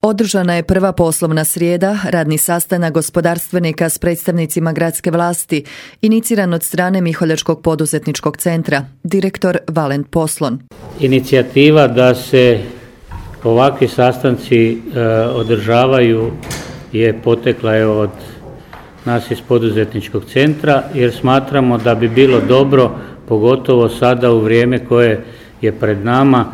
Održana je prva poslovna srijeda, radni sastanak gospodarstvenika s predstavnicima gradske vlasti, iniciran od strane Miholjačkog poduzetničkog centra, direktor Valent Poslon. Inicijativa da se ovakvi sastanci održavaju je potekla od nas iz poduzetničkog centra, jer smatramo da bi bilo dobro, pogotovo sada u vrijeme koje je pred nama,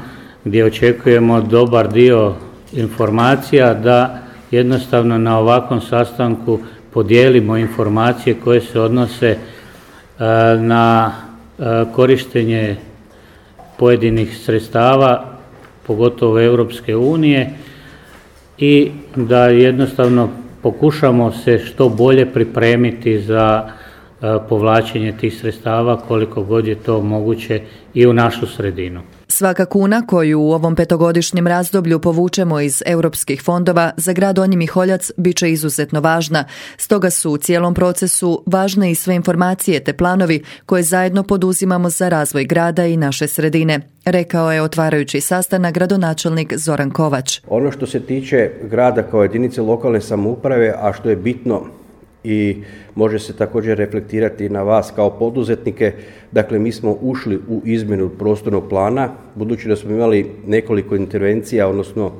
gdje očekujemo dobar dio informacija, da jednostavno na ovakvom sastanku podijelimo informacije koje se odnose na korištenje pojedinih sredstava, pogotovo Europske unije, i da jednostavno pokušamo se što bolje pripremiti za povlačenje tih sredstava koliko god je to moguće i u našu sredinu. Svaka kuna koju u ovom petogodišnjem razdoblju povučemo iz europskih fondova za grad Donji Miholjac bit će izuzetno važna, stoga su u cijelom procesu važne i sve informacije te planovi koje zajedno poduzimamo za razvoj grada i naše sredine, rekao je otvarajući sastanak gradonačelnik Zoran Kovač. Ono što se tiče grada kao jedinice lokalne samouprave, a što je bitno i može se također reflektirati na vas kao poduzetnike, dakle mi smo ušli u izmjenu prostornog plana, budući da smo imali nekoliko intervencija, odnosno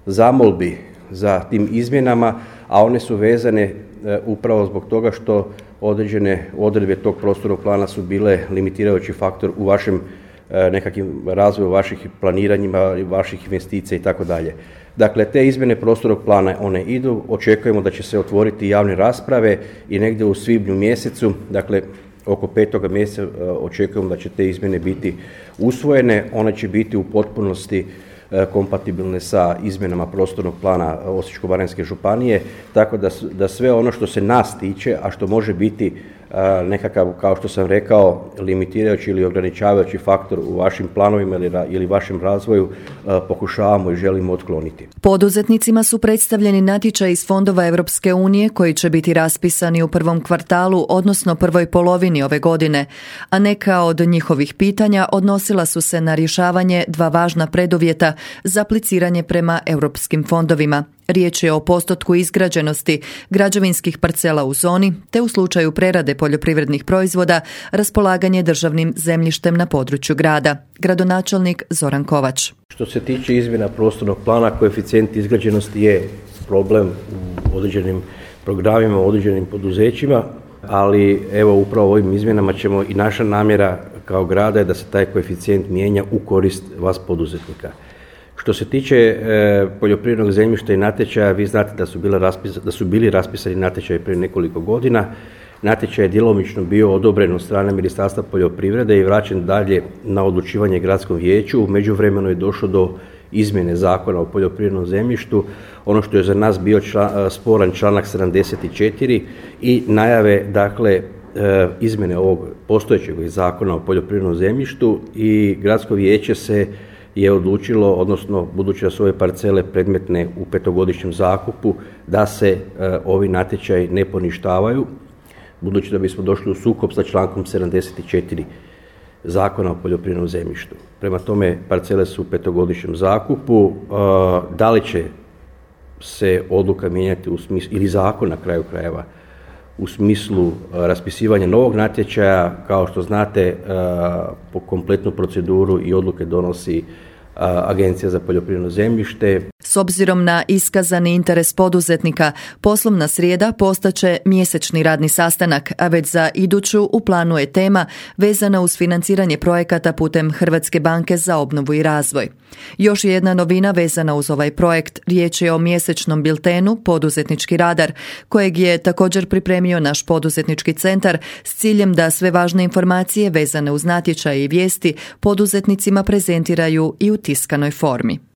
zamolbi za tim izmjenama, a one su vezane upravo zbog toga što određene odredbe tog prostornog plana su bile limitirajući faktor u vašem nekakvim razvoju vaših planiranjima, vaših investicija i tako dalje. Dakle, te izmjene prostornog plana, one idu, očekujemo da će se otvoriti javne rasprave i negdje u svibnju mjesecu, dakle oko 5. mjeseca očekujemo da će te izmjene biti usvojene, one će biti u potpunosti kompatibilne sa izmjenama prostornog plana Osječko-baranjske županije, tako da sve ono što se nas tiče, a što može biti nekakav, kao što sam rekao, limitirajući ili ograničavajući faktor u vašim planovima ili vašem razvoju, pokušavamo i želimo otkloniti. Poduzetnicima su predstavljeni natječaji iz fondova Europske unije koji će biti raspisani u prvom kvartalu, odnosno prvoj polovini ove godine, a neka od njihovih pitanja odnosila su se na rješavanje dva važna preduvjeta za apliciranje prema europskim fondovima. Riječ je o postotku izgrađenosti građevinskih parcela u zoni, te u slučaju prerade poljoprivrednih proizvoda raspolaganje državnim zemljištem na području grada. Gradonačelnik Zoran Kovač. Što se tiče izmjena prostornog plana, koeficijent izgrađenosti je problem u određenim programima, u određenim poduzećima, ali evo upravo ovim izmjenama ćemo i naša namjera kao grada je da se taj koeficijent mijenja u korist vas poduzetnika. Što se tiče poljoprivrednog zemljišta i natječaja, vi znate da su bili raspisani natječaji prije nekoliko godina. Natječaj je djelomično bio odobren od strane Ministarstva poljoprivrede i vraćen dalje na odlučivanje gradskom vijeću. U međuvremenu je došlo do izmjene Zakona o poljoprivrednom zemljištu. Ono što je za nas bio sporan članak 74 i najave, dakle, izmjene ovog postojećeg Zakona o poljoprivrednom zemljištu, i gradsko vijeće je odlučilo, odnosno budući da su ove parcele predmetne u petogodišnjem zakupu, da se ovi natječaji ne poništavaju, budući da bismo došli u sukob sa člankom 74 Zakona o poljoprivrednom zemljištu. Prema tome, parcele su u petogodišnjem zakupu. Da li će se odluka mijenjati u smislu, ili zakon na kraju krajeva, u smislu raspisivanja novog natječaja, kao što znate, po kompletnu proceduru i odluke donosi Agencija za poljoprivredno zemljište. S obzirom na iskazani interes poduzetnika, poslovna srijeda postaće mjesečni radni sastanak, a već za iduću u planu je tema vezana uz financiranje projekata putem Hrvatske banke za obnovu i razvoj. Još jedna novina vezana uz ovaj projekt, riječ je o mjesečnom biltenu Poduzetnički radar, kojeg je također pripremio naš poduzetnički centar s ciljem da sve važne informacije vezane uz natječaje i vijesti poduzetnicima prezentiraju i u tiskanoj formi.